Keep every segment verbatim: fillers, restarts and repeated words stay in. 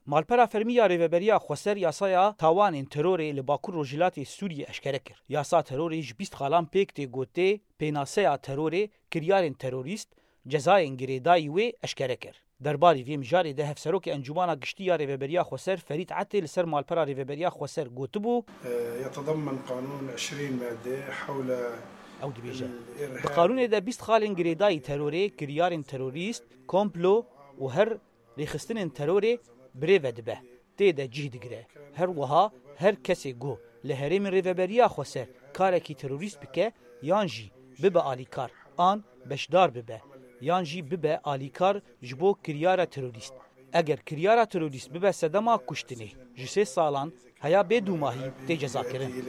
Malpera fermî ya Rêveberiya Xweser yasaya tawanên terorê li Bakur Rojhilatê Sûriyê eşkere kir. Yasa terorê ji bîst xalan pêk tê ku tê pênaseya terorê, kiryarên terorîst, cezayên girêdayî wê eşkere kir. Derbarî vê mijarê de Hevserokê Encûmana Giştî ya Rêveberiya Xweser Ferîd Etê li ser malpera Rêveberiya Xweser gotibû, يتضمن قانون عشرين مادة حول Ew dibêje, الإرهاب. Di qanûnê de bîst xalên girêdayî terorê, kiryarên terorîst, komplo û her rêxistinên terorê birêve dibe, tê de cih digire. Her wiha her kesê ku li herêmên Rêveberiya Xweser karekî terorîst bike yan jî bibe alîkar an beşdar bibe yan jî bibe alîkar ji bo kiryara terorîst. Eger kiryara terorîst bibe sedema kuştinê, ji sê salan heya bê dûmahî tê cezakirin.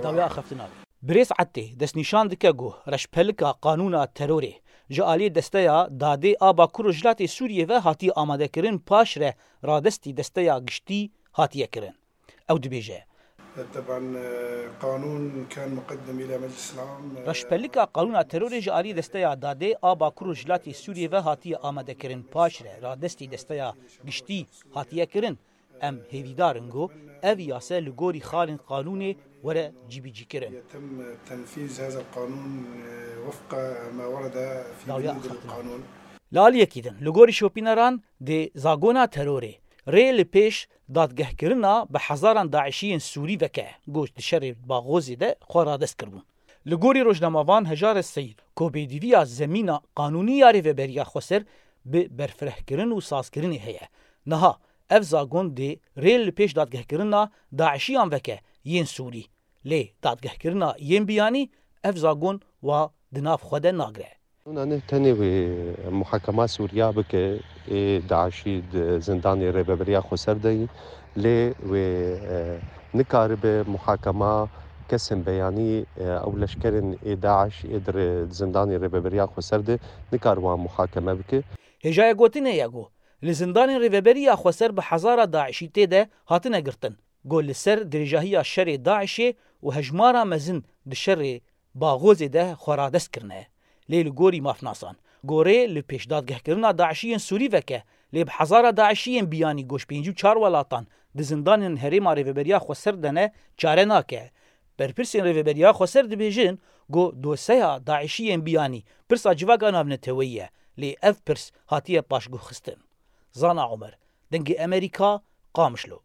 Dawiya axaftina wê. Birêz Etê destnîşan dike ku reşpelika qanûna terorê ji aliyê Desteya Dadê a Bakur Rojhilatê Sûriyê ve hatiye amadekirin, paşre radestî Desteya Giştî hatiye kirin. Ew dibêje, طبعا، قانون كان مقدم إلى مجلس العام. Reşpelika qanûna terorê ji aliyê Desteya Dadê a Bakur Rojhilatê Sûriyê ve hatiye amadekirin, paşre radestî Desteya Giştî hatiye kirin. Em hêvîdar in ku ev yase li gorî xalên qanûnê were cîbicîkirin. يتم تنفيذ هذا القانون وفق ما ورد في Dawiya بنود axaftina. القانون. Li aliyekî din, li gorî şopîneran dê zagona terorê rê li pêş dadgehkirina bi hezaran DAIŞî yên Sûrî veke, ku di şerê Baxozê de xwe radest kiribûn. Li gorî rojnamevan Hejarê Seyîd, ku bêdîviya zemîna qanûnî ya Rêveberiya Xweser bi berfirehkirin û sazkirinê heye. Niha ev zagon dê rê li pêş dadgehkirina DAIŞiyan veke yên Sûrî. Lê dadgehkirina yên biyanî ev zagon wa di nav xwe de nagire. Qanûna ne tenê wê muhakema Sûriya bike, ê DAIŞî di zindanê Rêveberiya Xweser de yî, lê wê, e, nikaribe muhakema kesên beyanî, e, ew leşkerên ê DAIŞ ê di rê-, di zindanê Rêveberiya Xweser de nikaribe wan muhakeme bike. Hêjaya gotinê ye ku li zindanên Rêveberiya Xweser bi hezara DAIŞî tê de hatine girtin. Ku li ser dirêjahiya şerê DAIŞê û hejmara mezin di şerê Baxozê de xwe radest kirine. Lê li gorî mafnasan, ku rê li pêşdadgehkirina DAIŞiyên Sûrî veke, lê bi hezara DAIŞiyên biyanî ku ji pêncî û çar welatan di zindanên herêma Rêveberiya Xweser de ne, çare nake. Berpirsên Rêveberiya Xweser dibêjin ku doseya DAIŞiyên biyanî pirsa civaka navneteweyî ye, lê ev pirs hatiye paşguhxistin. Zana Omer, Dengê Emerîka, Qamişlo.